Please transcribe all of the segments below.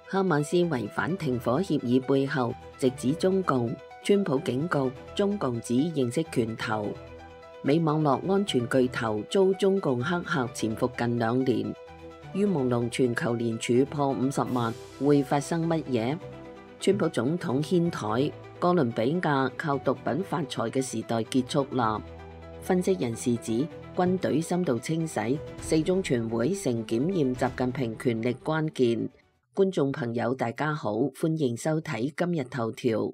哈馬斯違反停火協議背後直指中共，川普警告中共只認識拳頭。美網絡安全巨頭遭中共黑客潛伏近2年，於朦朧全球連署破50萬，會發生乜嘢？川普總統掀台，哥倫比亞靠毒品發財嘅時代結束啦。分析人士指，軍隊深度清洗，4中全會成檢驗習近平權力關鍵。觀眾朋友大家好，歡迎收睇今日頭條。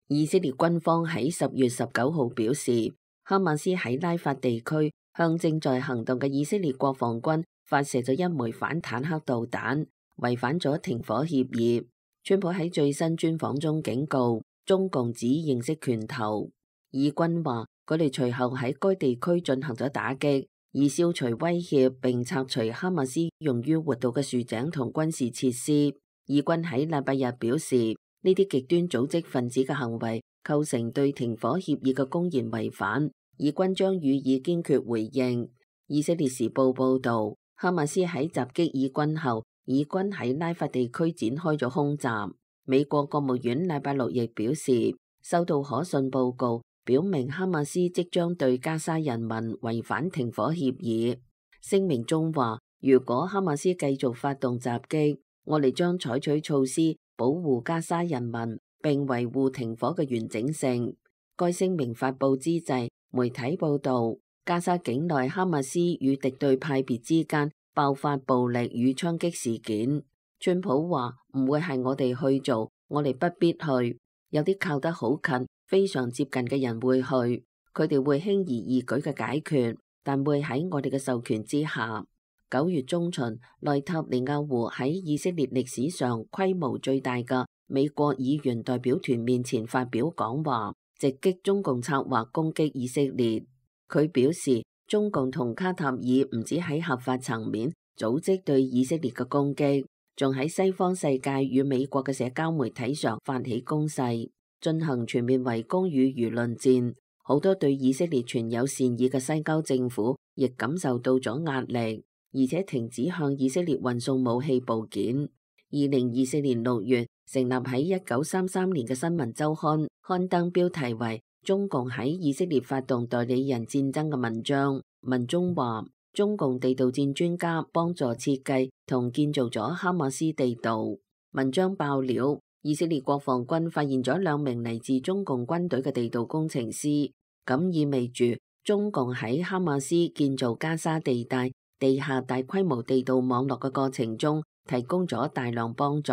以色列軍方喺10月19號表示，哈馬斯喺拉法地區向正在行動嘅以色列國防軍發射咗一枚反坦克導彈，違反咗停火協議。川普喺最新專訪中警告，中共只認識拳頭。以軍話，佢哋隨後喺該地區進行咗打擊，以消除威脅並拆除哈馬斯用於活動嘅豎井同軍事設施。以軍喺禮拜日表示，呢啲極端組織分子嘅行為構成對停火協議嘅公然違反，以軍將予以堅決回應。以色列時報報道，哈馬斯喺襲擊以軍後，以軍喺拉法地區展開咗空襲。美國國務院禮拜六亦表示，收到可信報告，表明哈馬斯即將對加沙人民違反停火協議。聲明中話，如果哈馬斯繼續發動襲擊，我哋將採取措施保護加沙人民並維護停火嘅完整性。該聲明發佈之際，媒體報道，加沙境內哈馬斯與敵對派別之間爆發暴力與槍擊事件。川普話唔會係我哋去做，我哋不必去。有啲靠得好近，非常接近嘅人會去，佢哋會輕而易舉嘅解決，但會喺我哋嘅授權之下。9月中旬，內塔尼亞胡喺以色列歷史上規模最大嘅美國議員代表團面前發表講話，直擊中共策劃攻擊以色列。佢表示，中共同卡塔爾唔止喺合法層面組織對以色列嘅攻擊，仲喺西方世界與美國嘅社交媒體上發起攻勢，進行全面圍攻與輿論戰。好多對以色列存有善意嘅西交政府亦感受到咗壓力，而且停止向以色列運送武器部件。2024年6月成立喺1933年嘅新聞週刊刊登標題為《中共喺以色列發動代理人戰爭》嘅文章，文中話，中共地道戰專家幫助設計同建造咗哈馬斯地道。文章爆料，以色列國防軍發現咗2名嚟自中共軍隊嘅地道工程師，咁意味住中共喺哈馬斯建造加沙地帶地下大規模地道網絡嘅過程中提供咗大量幫助。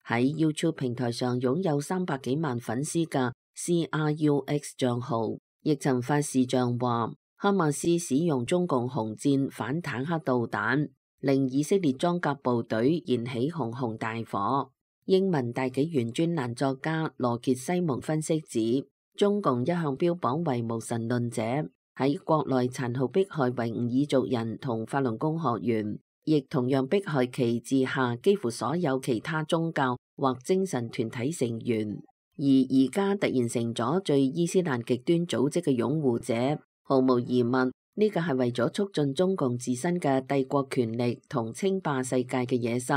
喺 YouTube 平台上擁有300幾萬粉絲嘅 CRUX 賬號亦曾發視像話，哈馬斯使用中共紅箭反坦克導彈，令以色列裝甲部隊燃起熊熊大火。英文大紀元專欄作家羅傑西蒙分析指，中共一向標榜為無神論者，喺國內殘酷迫害維吾爾族人同法輪功學員，亦同樣迫害其治下幾乎所有其他宗教或精神團體成員。而家突然成咗最伊斯蘭極端組織嘅擁護者，毫無疑問，呢個係為咗促進中共自身嘅帝國權力同稱霸世界嘅野心。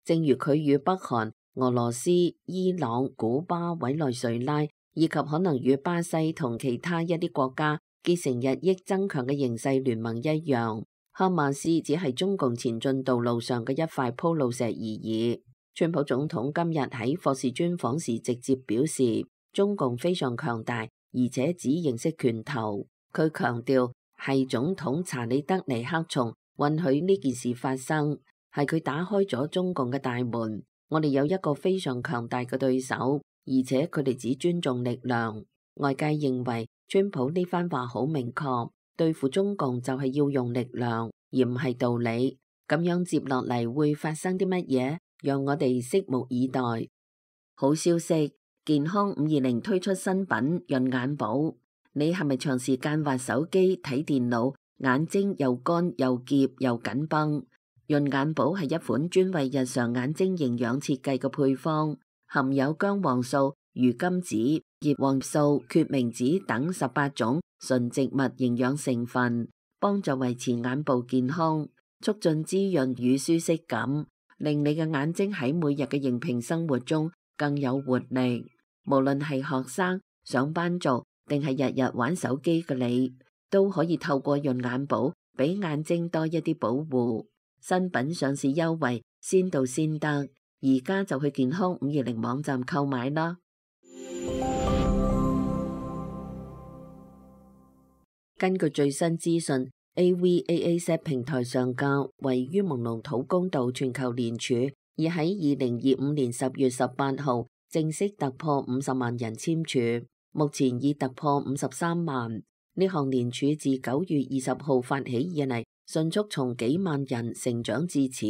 正如佢與北韓、俄羅斯、伊朗、古巴、委內瑞拉以及可能與巴西同其他一啲國家結成日益增強嘅形勢聯盟一樣，哈馬斯只係中共前進道路上嘅一塊鋪路石而已。川普總統今日喺霍士專訪時直接表示，中共非常強大，而且只認識拳頭。佢強調係總統查理德尼克松允許呢件事發生，係佢打開咗中共嘅大門。我哋有一個非常強大嘅對手，而且佢哋只尊重力量。外界認為川普呢番話好明確，對付中共就係要用力量，而唔係道理。咁樣接落嚟會發生啲乜嘢？讓我哋拭目以待。好消息，健康520推出新品潤眼寶。你係咪長時間滑手機睇電腦，眼睛又乾又澀又緊繃？潤眼寶係一款專為日常眼睛營養設計嘅配方，含有薑黃素、魚甘子、葉黃素、決明子等18種純植物營養成分，幫助維持眼部健康。促進滋潤與舒適感，令你嘅眼睛喺每日嘅熒屏生活中更有活力。無論係學生、上班族定係日日玩手機嘅你，都可以透過潤眼寶俾眼睛多一啲保護。新品上市優惠先到先得，而家就去健康520網站購買啦。根據最新資訊，AVAAZ 平台上架位於朦朧土公道全球連署，已喺2025年10月18號正式突破50萬人簽署，目前已突破53萬。呢項連署自9月20號發起以嚟，迅速從幾萬人成長至此，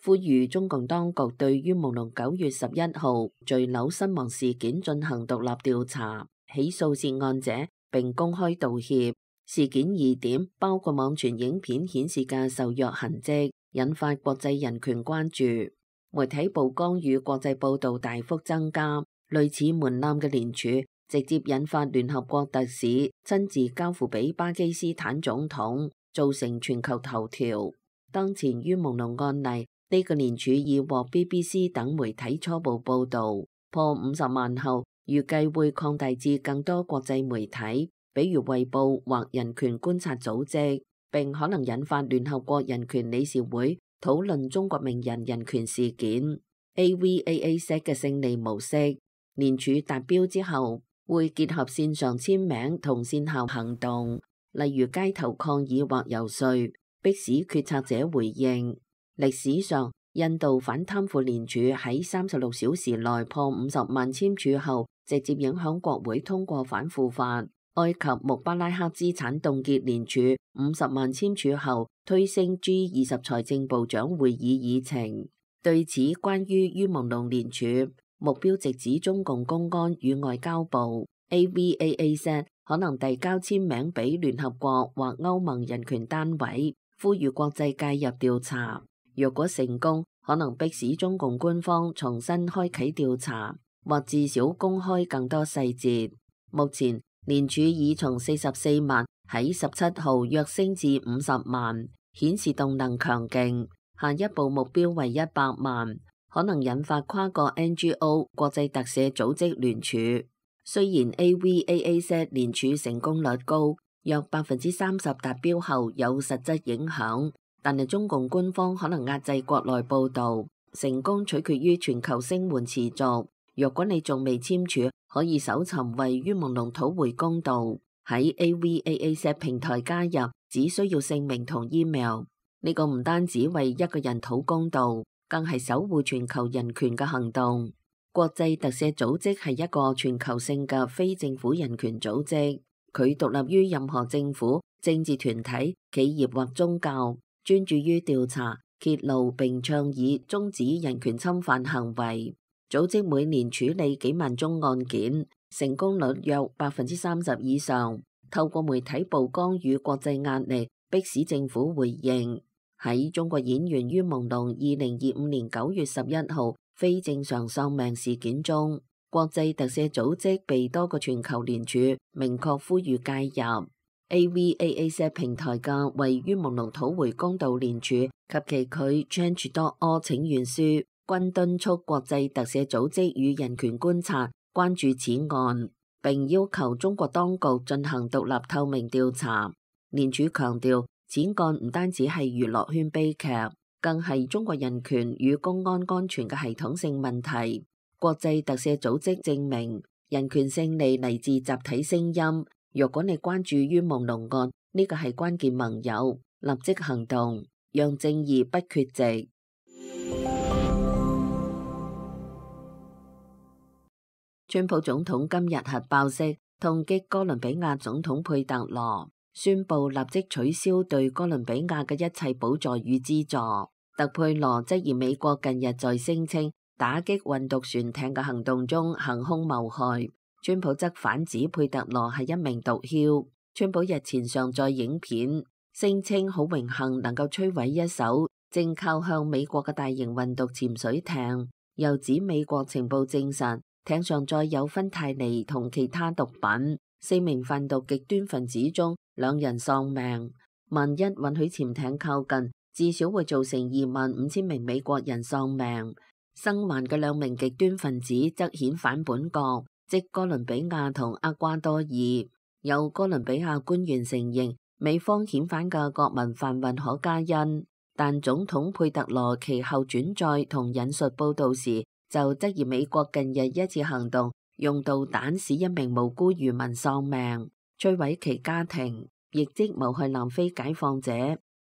呼籲中共當局對於朦朧9月11號墜樓身亡事件進行獨立調查，起訴涉案者並公開道歉。事件疑點包括網傳影片顯示嘅受虐痕跡，引發國際人權關注。媒體曝光與國際報道大幅增加，類似門檻嘅連署直接引發聯合國特使親自交付俾巴基斯坦總統，造成全球頭條。當前於朦朧案例，呢個連署已獲 BBC 等媒體初步報道，破50萬後，預計會擴大至更多國際媒體，比如衛報或人權觀察組織，並可能引發聯合國人權理事會討論中國名人人權事件。AVAAZ 嘅勝利模式，連署達標之後，會結合線上簽名同線下行動，例如街頭抗議或遊說，迫使決策者回應。歷史上，印度反貪腐連署喺36小時內破50萬簽署後，直接影響國會通過反腐法。埃及穆巴拉克資產凍結連署50萬簽署後，推升 G20 財政部長會議議程。對此，關於朦朧連署目標直指中共公安與外交部，AVAAZ 可能遞交簽名俾聯合國或歐盟人權單位，呼籲國際介入調查。若果成功，可能迫使中共官方重新開啟調查，或至少公開更多細節。目前連署已從44萬喺17號躍升至50萬，顯示動能強勁。下一步目標為100萬，可能引發跨國 NGO 國際特赦組織聯署。雖然 AVAAZ 連署成功率高，約30%達標後有實質影響，但係中共官方可能壓制國內報導，成功取決於全球聲援持續。若果你仲未簽署，可以搜尋位於朦朧土回公道，喺 AVAAZ 平台加入，只需要姓名同 email。呢個唔單止為一個人討公道，更係守護全球人權嘅行動。國際特赦組織係一個全球性嘅非政府人權組織，佢獨立於任何政府、政治團體、企業或宗教，專注於調查、揭露並倡議終止人權侵犯行為。組織每年處理幾萬宗案件，成功率約30%以上。透過媒體曝光與國際壓力，迫使政府回應。喺中國演員於朦朧2025年9月11號非正常喪命事件中，國際特赦組織被多個全球聯署明確呼籲介入。AVAAZ 平台嘅位於朦朧土回公道連署及其佢 Change.org 請願書，均敦促國際特赦組織與人權觀察關注此案，並要求中國當局進行獨立透明調查。連署強調，此案唔單止係娛樂圈悲劇，更係中國人權與公安安全嘅系統性問題。國際特赦組織證明，人權勝利嚟自集體聲音。若果你關注於朦朧案，呢個係關鍵盟友，立即行動，讓正義不缺席。川普總統今日核爆式痛擊哥倫比亞總統佩特羅，宣布立即取消對哥倫比亞嘅一切補助與資助。特佩羅質疑美國近日在聲稱打擊運毒船艇嘅行動中行兇謀害，川普則反指佩特羅係一名毒梟。川普日前上載影片，聲稱好榮幸能夠摧毀一艘正靠向美國嘅大型運毒潛水艇，又指美國情報證實艇上載有芬太尼同其他毒品，4名販毒極端分子中2人喪命。萬一允許潛艇靠近，至少會造成25,000名美國人喪命。生還嘅2名極端分子則遣返本國，即哥倫比亞同厄瓜多爾。有哥倫比亞官員承認美方遣返嘅國民販運可卡因，但總統佩特羅其後轉載同引述報導時就質疑美國近日一次行動用導彈使1名無辜漁民喪命，摧毀其家庭，亦即謀害南非解放者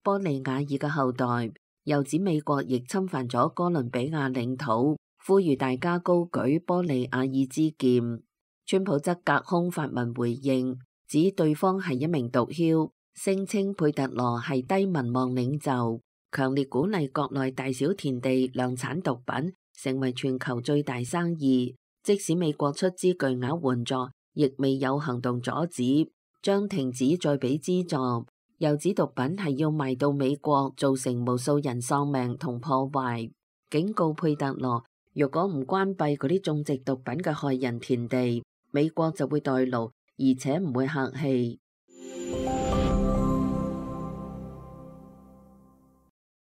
波利亞爾嘅後代。又指美國亦侵犯咗哥倫比亞領土，呼籲大家高舉波利亞爾之劍。川普則隔空發文回應，指對方係1名毒梟，聲稱佩特羅係低民望領袖，強烈鼓勵國內大小田地量產毒品成為全球最大生意。即使美國出資巨額援助，亦未有行動阻止，將停止再俾資助。又指毒品係要賣到美國，造成無數人喪命同破壞，警告佩特羅，若果唔關閉嗰啲種植毒品嘅害人田地，美國就會代勞，而且唔會客氣。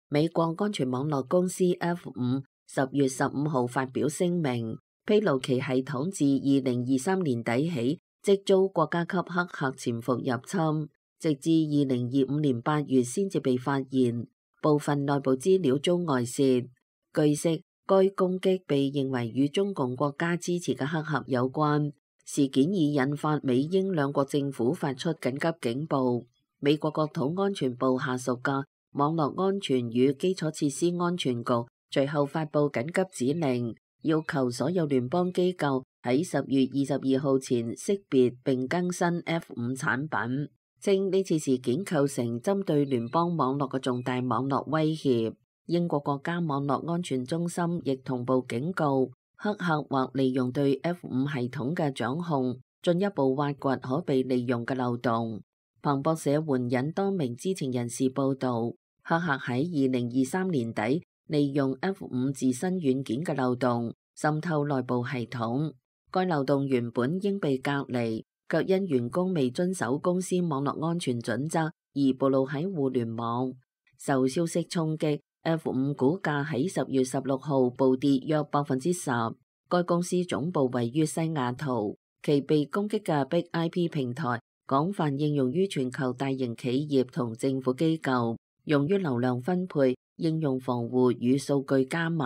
美國安全網絡公司 F5 10月15號發表聲明，披露其系統自2023年底起即遭國家級黑客潛伏入侵，直至2025年8月先至被發現，部分內部資料遭外泄。據悉，該攻擊被認為與中共國家支持嘅黑客有關。事件已引發美英兩國政府發出緊急警報。美國國土安全部下屬嘅網絡安全與基礎設施安全局隨後發布緊急指令，要求所有聯邦機構喺10月22號前識別並更新 F5 產品。稱呢次事件構成針對聯邦網絡嘅重大網絡威脅。英國國家網絡安全中心亦同步警告，黑客或利用對 F5 系統嘅掌控，進一步挖掘可被利用嘅漏洞。彭博社援引多名知情人士報導，黑客喺2023年底利用 F5 自身軟件嘅漏洞滲透內部系統，該漏洞原本應被隔離，卻因員工未遵守公司網絡安全準則而暴露喺互聯網。受消息衝擊， F5 股價喺10月16號暴跌約10%。該公司總部位於西雅圖，其被攻擊嘅 Big IP 平台廣泛應用於全球大型企業同政府機構，用於流量分配、應用防護與數據加密。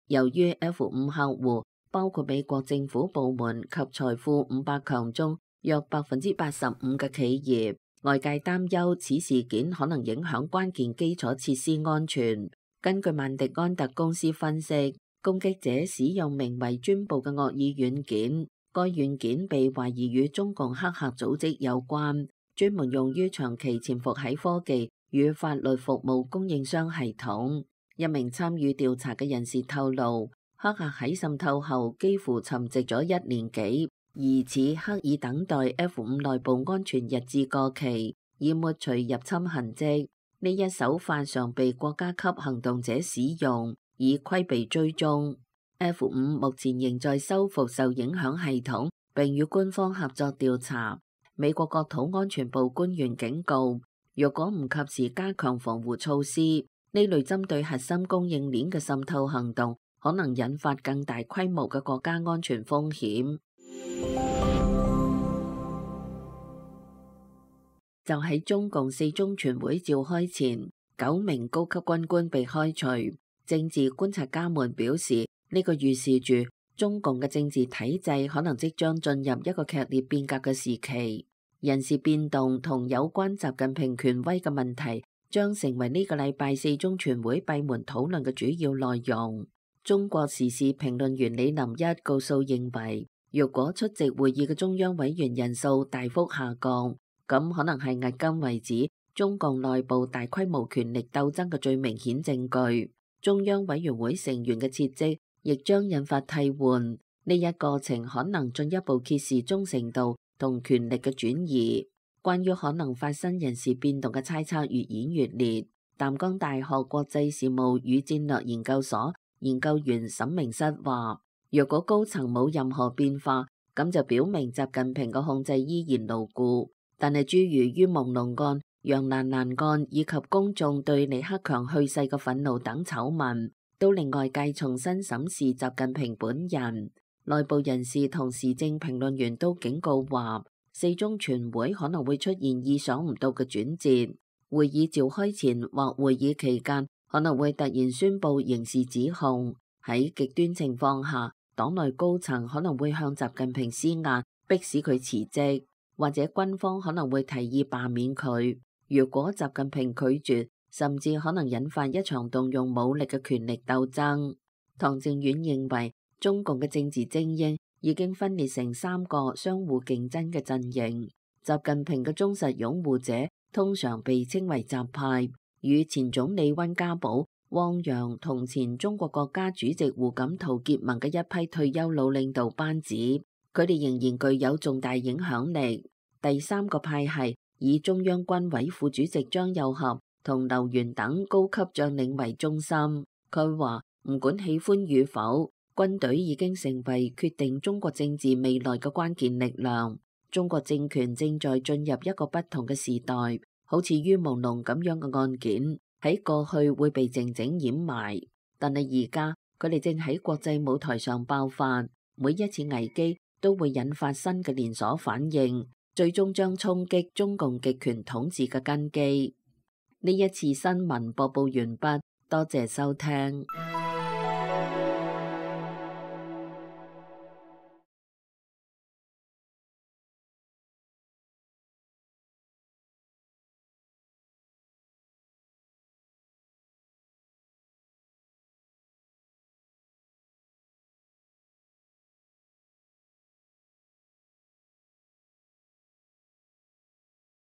由於 F5 客戶包括美國政府部門及財富500強中約85%嘅企業，外界擔憂此事件可能影響關鍵基礎設施安全。根據曼迪安特公司分析，攻擊者使用名為專部嘅惡意軟件，該軟件被懷疑與中共黑客組織有關，專門用於長期潛伏喺科技與法律服務供應商系統。一名參與調查嘅人士透露，黑客喺滲透後幾乎沉寂咗1年幾，疑似刻意等待 F5 內部安全日誌過期，以抹除入侵痕跡。呢一手法常被國家級行動者使用，以規避追蹤。F5 目前仍在修復受影響系統，並與官方合作調查。美國國土安全部官員警告，若果唔及時加強防護措施，呢類針對核心供應鏈嘅滲透行動可能引發更大規模嘅國家安全風險。就喺中共4中全會召開前，9名高級軍官被開除。政治觀察家們表示，呢個預示住中共嘅政治體制可能即將進入一個劇烈變革嘅時期。人事變動同有關習近平權威嘅問題將成為呢個禮拜4中全會閉門討論嘅主要內容。中國時事評論員李林一告訴認為，若果出席會議嘅中央委員人數大幅下降，咁可能係迄今為止中共內部大規模權力鬥爭嘅最明顯證據。中央委員會成員嘅撤職亦將引發替換，呢一過程可能進一步揭示忠誠度同權力嘅轉移。關於可能發生人事變動嘅猜測越演越烈。淡江大學國際事務與戰略研究所研究員沈明室話，若果高層冇任何變化，咁就表明習近平嘅控制依然牢固。但係諸如於朦朧幹楊瀾欄案以及公眾對李克強去世嘅憤怒等醜聞，都令外界重新審視習近平本人。內部人士同時政評論員都警告話，四中全會可能會出現意想唔到嘅轉折。會議召開前或會議期間，可能會突然宣布刑事指控。喺極端情況下，黨內高層可能會向習近平施壓，迫使佢辭職，或者軍方可能會提議罷免佢。如果習近平拒絕，甚至可能引發一場動用武力嘅權力鬥爭。唐正遠認為，中共嘅政治精英已經分裂成三個相互競爭嘅陣營。習近平嘅忠實擁護者通常被稱為習派，與前總理溫家寶、汪洋同前中國國家主席胡錦濤結盟嘅一批退休老領導班子，佢哋仍然具有重大影響力。第三個派系以中央軍委副主席張又俠同劉源等高級將領為中心。佢話唔管喜歡與否，軍隊已經成為決定中國政治未來嘅關鍵力量。中國政權正在進入一個不同嘅時代，好似于文龍咁樣嘅案件喺過去會被靜靜掩埋，但係而家佢哋正喺國際舞台上爆發，每一次危機都會引發新嘅連鎖反應，最終將衝擊中共極權統治嘅根基。呢一次新聞播報完畢，多謝收聽。